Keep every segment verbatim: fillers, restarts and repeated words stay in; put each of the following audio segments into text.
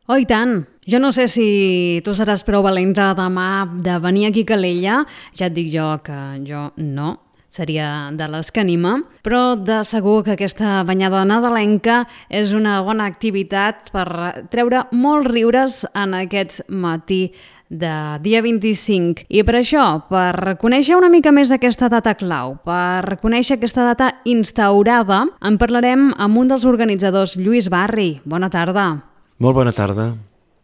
Oh, i tant! Jo no sé si tu seràs prou valenta demà de venir aquí a Calella, ja et dic jo que jo no, seria de les que anima, però de segur que aquesta banyada nadalenca és una bona activitat per treure molts riures en aquest matí de dia vint-i-cinc. I per això, per conèixer una mica més aquesta data clau, per conèixer aquesta data instaurada, en parlarem amb un dels organitzadors, Lluís Barri. Bona tarda. Molt bona tarda.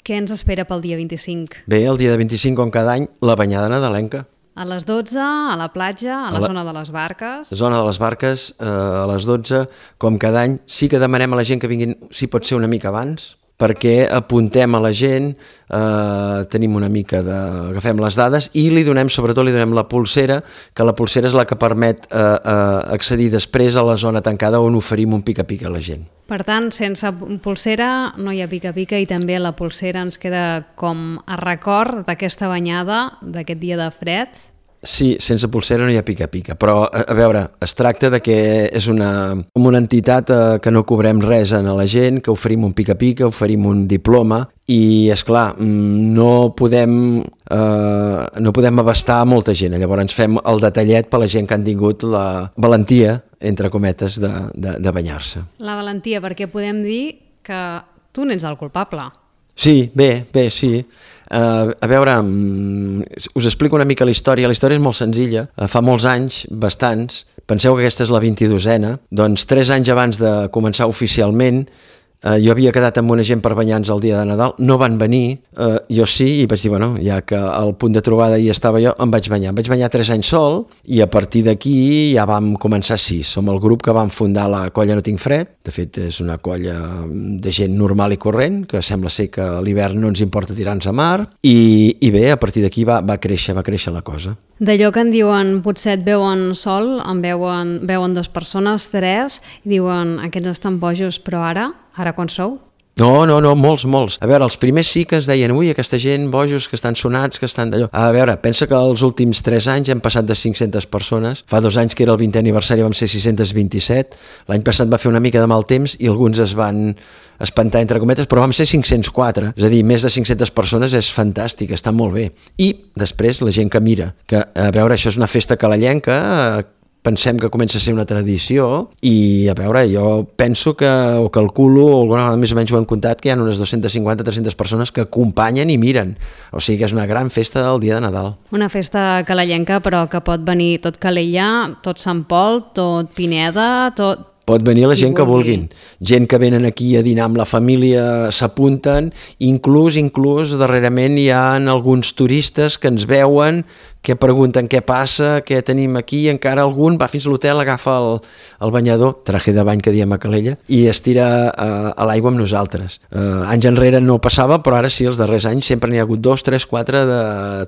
Què ens espera pel dia vint-i-cinc? Bé, el dia de vint-i-cinc, com cada any, la banyada nadalenca. A les dotze, a la platja, a la, a la zona de les barques... Zona de les barques, eh, a les dotze, com cada any. Sí que demanem a la gent que vinguin, si pot ser una mica abans, perquè apuntem a la gent, eh, tenim una mica de... agafem les dades i li donem, sobretot li donem la pulsera, que la pulsera és la que permet eh, eh, accedir després a la zona tancada on oferim un pica-pica a la gent. Per tant, sense pulsera no hi ha pica-pica i també la pulsera ens queda com a record d'aquesta banyada, d'aquest dia de fred. Sí, sense pulsera no hi ha pica-pica, però a, a veure, es tracta de que és una, una entitat eh, que no cobrem res a la gent, que oferim un pica-pica, oferim un diploma i, esclar, no podem, eh, no podem abastar molta gent, llavors fem el detallet per la gent que han tingut la valentia, entre cometes, de, de, de banyar-se. La valentia, perquè podem dir que tu n'ets el culpable. Sí, bé, bé, sí. Uh, a veure, um, us explico una mica la història. La història és molt senzilla. Uh, fa molts anys, bastants, penseu que aquesta és la vint-i-dosena, doncs tres anys abans de començar oficialment, uh, jo havia quedat amb una gent per banyar-nos el dia de Nadal, no van venir, uh, jo sí, i vaig dir, bueno, ja que al punt de trobada hi estava jo, em vaig banyar. Em vaig banyar tres anys sol, i a partir d'aquí ja vam començar sis. Som el grup que vam fundar la colla No Tinc Fred. De fet, és una colla de gent normal i corrent, que sembla ser que a l'hivern no ens importa tirar-nos a mar, i, i bé, a partir d'aquí va, va créixer, va créixer la cosa. D'allò que en diuen, potser et veuen sol, en veuen, veuen dues persones, tres, i diuen, aquests estan bojos, però ara, ara quan sou? No, no, no, molts, molts. A veure, els primers sí que es deien, ui, aquesta gent, bojos, que estan sonats, que estan d'allò. A veure, pensa que els últims tres anys hem passat de cinc-centes persones. Fa dos anys, que era el vintè aniversari, vam ser sis-cents vint-i-set. L'any passat va fer una mica de mal temps i alguns es van espantar, entre cometes, però vam ser cinc-cents quatre. És a dir, més de cinc-centes persones és fantàstic, està molt bé. I després la gent que mira, que, a veure, això és una festa calellenca, pensem que comença a ser una tradició i, a veure, jo penso que, o calculo, o alguna vegada més o menys ho hem comptat, que hi ha unes dues-centes cinquanta a tres-centes persones que acompanyen i miren. O sigui que és una gran festa del dia de Nadal. Una festa calellenca, però que pot venir tot Calella, tot Sant Pol, tot Pineda, tot... Pot venir la gent que vulguin. Gent que venen aquí a dinar amb la família s'apunten, inclús, inclús, darrerament hi ha alguns turistes que ens veuen, que pregunten què passa, què tenim aquí, i encara algun va fins a l'hotel, agafa el, el banyador, traje de bany que diem a Calella, i es tira a, a l'aigua amb nosaltres. Uh, anys enrere no passava, però ara sí, els darrers anys sempre n'hi ha hagut dos, tres, quatre de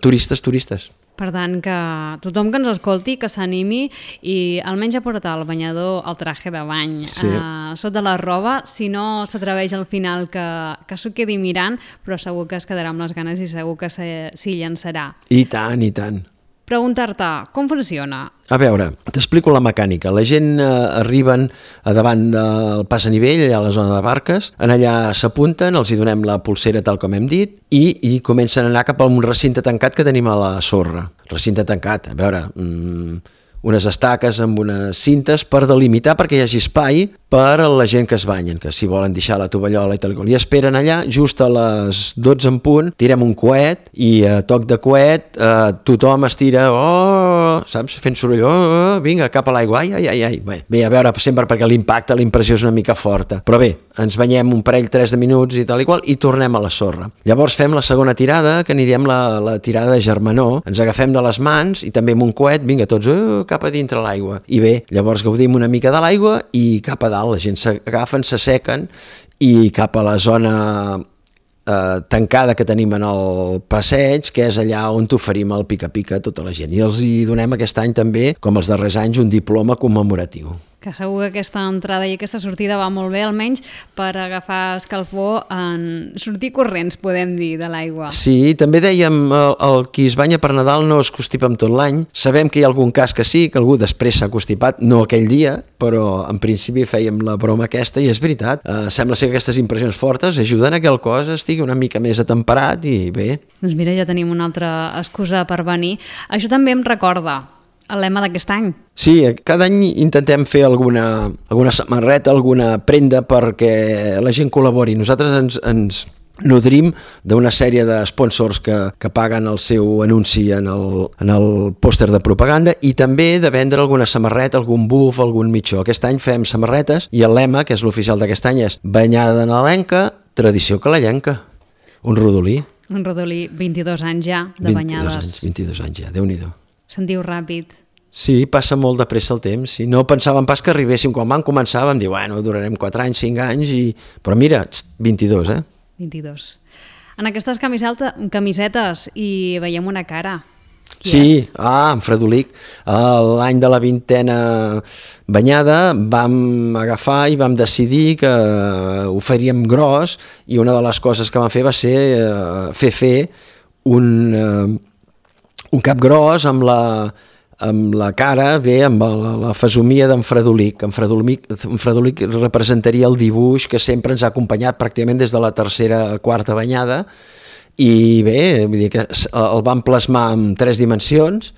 turistes, turistes. Per tant, que tothom que ens escolti, que s'animi i almenys a portar el banyador, el traje de bany, sí. eh, sota la roba, si no s'atreveix al final que, que s'ho quedi mirant, però segur que es quedarà amb les ganes i segur que s'hi llançarà. I tant, i tant. Preguntar-te, com funciona? A veure, t'explico la mecànica. La gent eh, arriben a davant del pas a nivell, allà a la zona de barques, en allà s'apunten, els hi donem la pulsera tal com hem dit, i, i comencen a anar cap a un recinte tancat que tenim a la sorra. Recinte tancat, a veure... Mmm, unes estaques amb unes cintes per delimitar perquè hi hagi espai per a la gent que es banyen, que si volen deixar la tovallola i tal, i esperen allà, just a les dotze en punt, tirem un coet i a toc de coet eh, tothom es tira, oh, saps, fent soroll, oh, oh, vinga, cap a l'aigua, ai, ai, ai, ai. Bé, bé, a veure, sempre perquè l'impacte, la impressió és una mica forta, però bé, ens banyem un parell, tres de minuts i tal i qual, i tornem a la sorra. Llavors fem la segona tirada, que n'hi diem la, la tirada de germanor, ens agafem de les mans i també amb un coet, vinga, tots, oh, cap a dintre l'aigua. I bé, llavors gaudim una mica de l'aigua i cap a dalt, la gent s'agafen, s'assequen i cap a la zona eh, tancada que tenim en el passeig, que és allà on t'oferim el pica-pica a tota la gent. I els hi donem aquest any també, com els darrers anys, un diploma commemoratiu. que segur que aquesta entrada i aquesta sortida va molt bé, almenys per agafar escalfor en sortir corrents, podem dir, de l'aigua. Sí, també dèiem, el, el qui es banya per Nadal no es constipa amb tot l'any. Sabem que hi ha algun cas que sí, que algú després s'ha constipat, no aquell dia, però en principi fèiem la broma aquesta i és veritat. Eh, sembla ser que aquestes impressions fortes ajuden a que el cos estigui una mica més atemperat i bé. Doncs mira, ja tenim una altra excusa per venir. Això també em recorda el lema d'aquest any. Sí, cada any intentem fer alguna, alguna samarreta, alguna prenda perquè la gent col·labori. Nosaltres ens, ens nodrim d'una sèrie de sponsors que, que paguen el seu anunci en el, en el pòster de propaganda i també de vendre alguna samarreta, algun buf, algun mitjó. Aquest any fem samarretes i el lema, que és l'oficial d'aquest any, és banyada nadalenca, tradició calellenca. Un rodolí. Un rodolí, vint-i-dos anys ja de banyades. vint-i-dos anys, vint-i-dos anys ja, Déu-n'hi-do. Sentiu ràpid. Sí, passa molt de pressa el temps. Sí. No pensàvem pas que arribéssim. Quan vam començar vam dir, bueno, durarem quatre anys, cinc anys, i... però mira, vint-i-dos, eh? vint-i-dos. En aquestes camisetes hi veiem una cara. Qui sí, és? ah, en Fredolic. L'any de la vintena banyada vam agafar i vam decidir que ho faríem gros i una de les coses que vam fer va ser eh, fer fer un... Eh, un cap gros amb la, amb la cara, bé, amb la, la fesomia d'en Fredolic. En Fredolic, en Fredolic representaria el dibuix que sempre ens ha acompanyat pràcticament des de la tercera a quarta banyada i bé, vull dir que el vam plasmar en tres dimensions.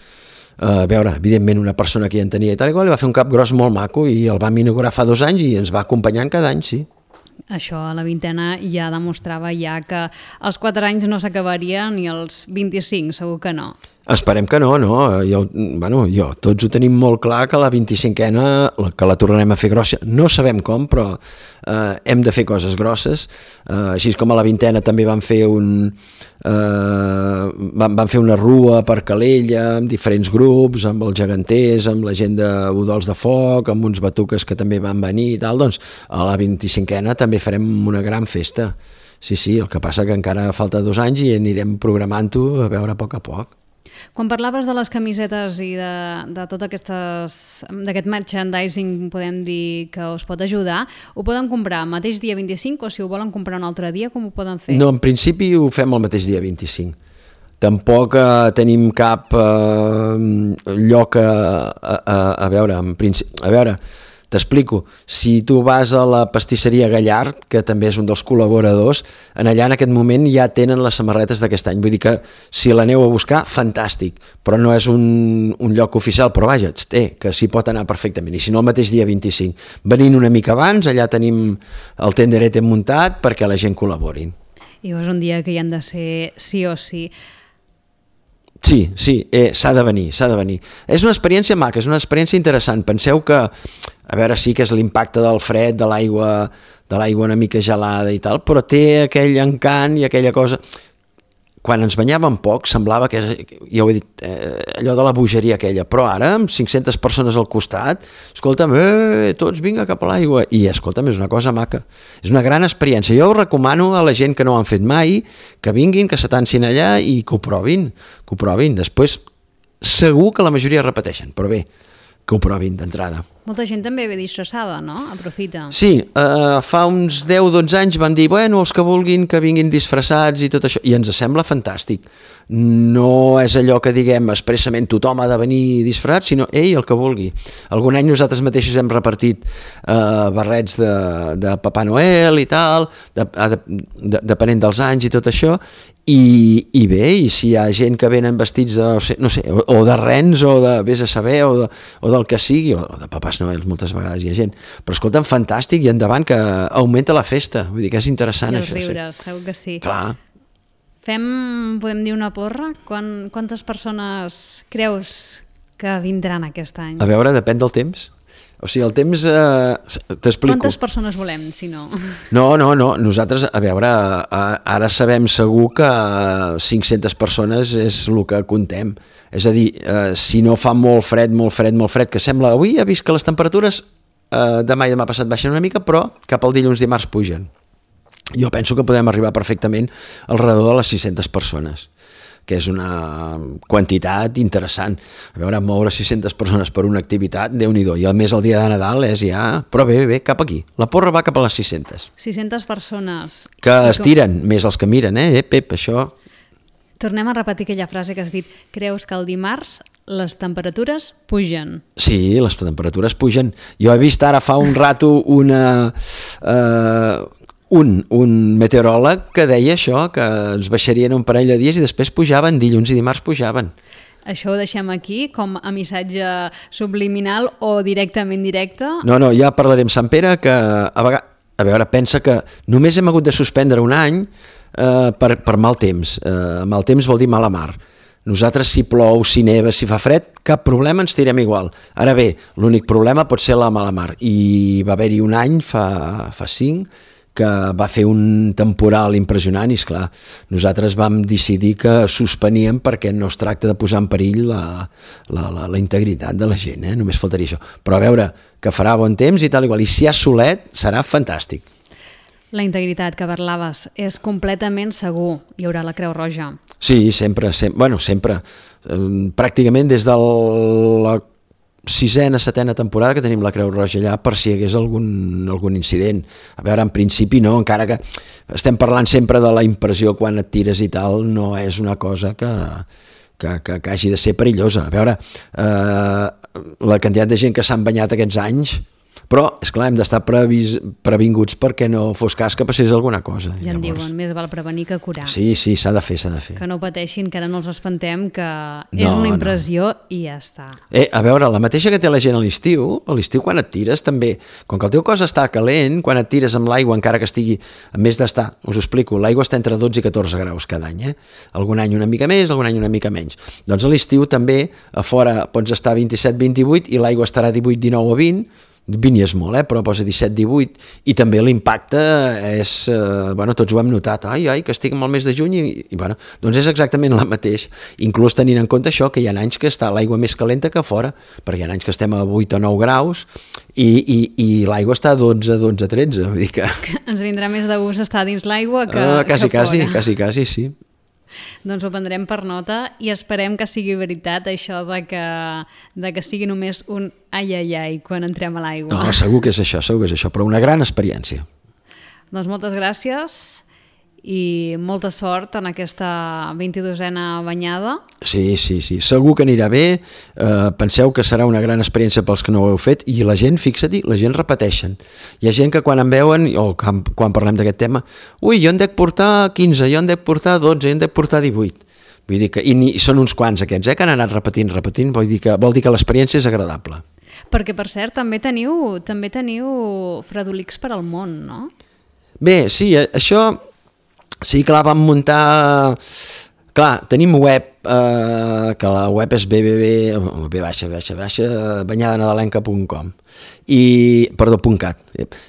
A veure, evidentment una persona que ja en tenia i tal, igual, li va fer un cap gros molt maco i el vam inaugurar fa dos anys i ens va acompanyant cada any, sí. Això a la vintena ja demostrava ja que els quatre anys no s'acabarien ni els vint-i-cinc, segur que no. Esperem que no, no. Jo, bueno, jo, tots ho tenim molt clar que la vint-i-cinquena, que la tornarem a fer grossa. No sabem com, però eh, hem de fer coses grosses. Eh, així com a la vintena també vam fer un... Eh, vam, vam fer una rua per Calella, amb diferents grups, amb els geganters, amb la gent de Udols de Foc, amb uns batuques que també van venir i tal. Doncs a la vint-i-cinquena també farem una gran festa. Sí, sí, el que passa que encara falta dos anys i anirem programant-ho a veure a poc a poc. Quan parlaves de les camisetes i de, de tot aquestes, d'aquest merchandising, podem dir que us pot ajudar, ho poden comprar el mateix dia vint-i-cinc o si ho volen comprar un altre dia, com ho poden fer? No, en principi ho fem el mateix dia vint-i-cinc. Tampoc eh, tenim cap eh, lloc a, a, a veure, en principi, a veure, t'explico, si tu vas a la pastisseria Gallard, que també és un dels col·laboradors, en allà en aquest moment ja tenen les samarretes d'aquest any, vull dir que si l'aneu a buscar, fantàstic, però no és un, un lloc oficial, però vaja, té, que s'hi pot anar perfectament, i si no el mateix dia vint-i-cinc. Venint una mica abans, allà tenim el tenderete muntat perquè la gent col·laborin. I és un dia que hi han de ser sí o sí. Sí, sí, eh, s'ha de venir, s'ha de venir. És una experiència maca, és una experiència interessant. Penseu que, a veure, sí que és l'impacte del fred, de l'aigua, de l'aigua una mica gelada i tal, però té aquell encant i aquella cosa... Quan ens banyàvem poc semblava que, ja ho he dit, eh, allò de la bogeria aquella, però ara amb cinc-centes persones al costat, escolta'm, eh, tots vinga cap a l'aigua, i escolta'm, és una cosa maca, és una gran experiència. Jo ho recomano a la gent que no ho han fet mai, que vinguin, que s'atancin allà i que ho provin, que ho provin. Després segur que la majoria repeteixen, però bé, que ho provin d'entrada. Molta gent també ve disfressada, no? Aprofita. Sí, eh, fa uns deu o dotze anys van dir, bueno, els que vulguin que vinguin disfressats i tot això, i ens sembla fantàstic. No és allò que diguem expressament tothom ha de venir disfressat, sinó ell el que vulgui. Algun any nosaltres mateixos hem repartit eh, barrets de, de Papà Noel i tal, de, de, de, depenent dels anys i tot això, i, i bé, i si hi ha gent que venen vestits de, no sé, no sé o, o de rens o de vés a saber o, de, o del que sigui, o de papàs Noel, moltes vegades hi ha gent, però escolta'm, fantàstic i endavant, que augmenta la festa, vull dir que és interessant. I els això, riures, sí. segur que sí. Clar. Fem, podem dir una porra? Quan, quantes persones creus que vindran aquest any? A veure, depèn del temps. O sigui, el temps... Eh, T'explico. Quantes persones volem, si no? No, no, no. Nosaltres, a veure, ara sabem segur que cinc-centes persones és el que contem. És a dir, eh, si no fa molt fred, molt fred, molt fred, que sembla... Avui he vist que les temperatures eh, demà i demà passat baixen una mica, però cap al dilluns dimarts pugen. Jo penso que podem arribar perfectament al redor de les sis-centes persones. que és una quantitat interessant. A veure, moure sis-centes persones per una activitat, Déu-n'hi-do, i a més el dia de Nadal és ja... Però bé, bé, bé, cap aquí. La porra va cap a les sis-centes. sis-centes persones. Que es tiren, més els que miren, eh? Eh, Pep, això... Tornem a repetir aquella frase que has dit. Creus que el dimarts les temperatures pugen? Sí, les temperatures pugen. Jo he vist ara fa un rato una, eh, un, un meteoròleg que deia això, que ens baixarien un parell de dies i després pujaven, dilluns i dimarts pujaven. Això ho deixem aquí com a missatge subliminal o directament directe? No, no, ja parlarem amb Sant Pere, que a, vegades, a veure, pensa que només hem hagut de suspendre un any eh, per, per mal temps. Eh, mal temps vol dir mala mar. Nosaltres, si plou, si neva, si fa fred, cap problema, ens tirem igual. Ara bé, l'únic problema pot ser la mala mar. I va haver-hi un any, fa, fa cinc, que va fer un temporal impressionant i, esclar, nosaltres vam decidir que suspeníem perquè no es tracta de posar en perill la, la, la, la integritat de la gent, eh? Només faltaria això. Però a veure, que farà bon temps i tal igual, i si hi ha solet serà fantàstic. La integritat que parlaves és completament segur. Hi haurà la Creu Roja. Sí, sempre, sempre bueno, sempre. Eh, pràcticament des de la sisena, setena temporada que tenim la Creu Roja allà per si hi hagués algun, algun incident. A veure, en principi no, encara que estem parlant sempre de la impressió quan et tires i tal, no és una cosa que, que, que, que hagi de ser perillosa. A veure, eh, la quantitat de gent que s'han banyat aquests anys, però, esclar, hem d'estar previs, previnguts perquè no fos cas que passés alguna cosa. Ja en diuen, més val prevenir que curar. Sí, sí, s'ha de fer, s'ha de fer. Que no pateixin, que ara no els espantem, que no, és una impressió no. I ja està. Eh, a veure, la mateixa que té la gent a l'estiu, a l'estiu quan et tires també, com que el teu cos està calent, quan et tires amb l'aigua, encara que estigui, a més d'estar, us ho explico, l'aigua està entre dotze i catorze graus cada any, eh? Algun any una mica més, algun any una mica menys. Doncs a l'estiu també, a fora pots estar vint-i-set vint-i-vuit i l'aigua estarà divuit dinou o vint, vint i és molt, eh? Però posa disset divuit, i també l'impacte és, eh, bueno, tots ho hem notat, ai, ai, que estic al mes de juny, i, i bueno, doncs és exactament la mateix, inclús tenint en compte això, que hi ha anys que està l'aigua més calenta que fora, perquè hi ha anys que estem a vuit o nou graus, i, i, i l'aigua està a dotze, dotze, tretze, vull dir que... Ens vindrà més de gust estar dins l'aigua que, ah, quasi, que fora. Quasi, quasi, quasi, sí. Doncs ho prendrem per nota i esperem que sigui veritat això de que, de que sigui només un ai, ai, ai quan entrem a l'aigua. No, segur que és això, segur que és això, però una gran experiència. Doncs moltes gràcies i molta sort en aquesta vint-i-dosena banyada. Sí, sí, sí, segur que anirà bé, eh, penseu que serà una gran experiència pels que no ho heu fet, i la gent, fixa-t'hi, la gent repeteixen. Hi ha gent que quan em veuen, o quan, quan parlem d'aquest tema, ui, jo en dec portar quinze, jo en dec portar dotze, jo en dec portar divuit. Vull dir que, i, i són uns quants aquests, eh, que han anat repetint, repetint, vol dir que, vol dir que l'experiència és agradable. Perquè, per cert, també teniu, també teniu fredolics per al món, no? Bé, sí, això... Sí, clar, vam muntar... Clar, tenim web, eh, que la web és b b b, b baixa, baixa, baixa, banyadanadalenca punt com, i, perdó, .cat.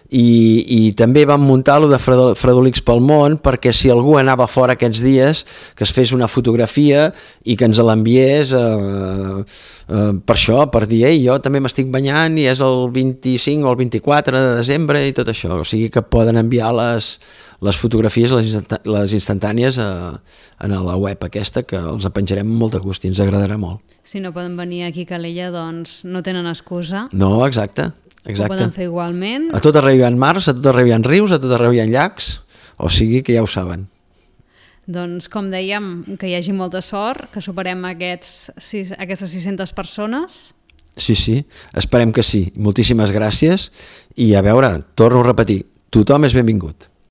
I, i també vam muntar lo de Fredolics pel món, perquè si algú anava fora aquests dies, que es fes una fotografia i que ens l'enviés eh, eh, per això, per dir, ei, jo també m'estic banyant i és el vint-i-cinc o el vint-i-quatre de desembre i tot això, o sigui que poden enviar les, les fotografies, les, instant les instantànies a, a la web aquesta, que els penjarem amb molt de gust i ens agradarà molt. Si no poden venir aquí a Calella, doncs no tenen excusa. No, exacte. Exacte. Ho poden fer igualment. A tot arreu hi ha mars, a tot arreu hi ha rius, a tot arreu hi ha llacs, o sigui que ja ho saben. Doncs, com dèiem, que hi hagi molta sort, que superem aquests, sis, aquestes sis-centes persones. Sí, sí, esperem que sí. Moltíssimes gràcies i a veure, torno a repetir, tothom és benvingut.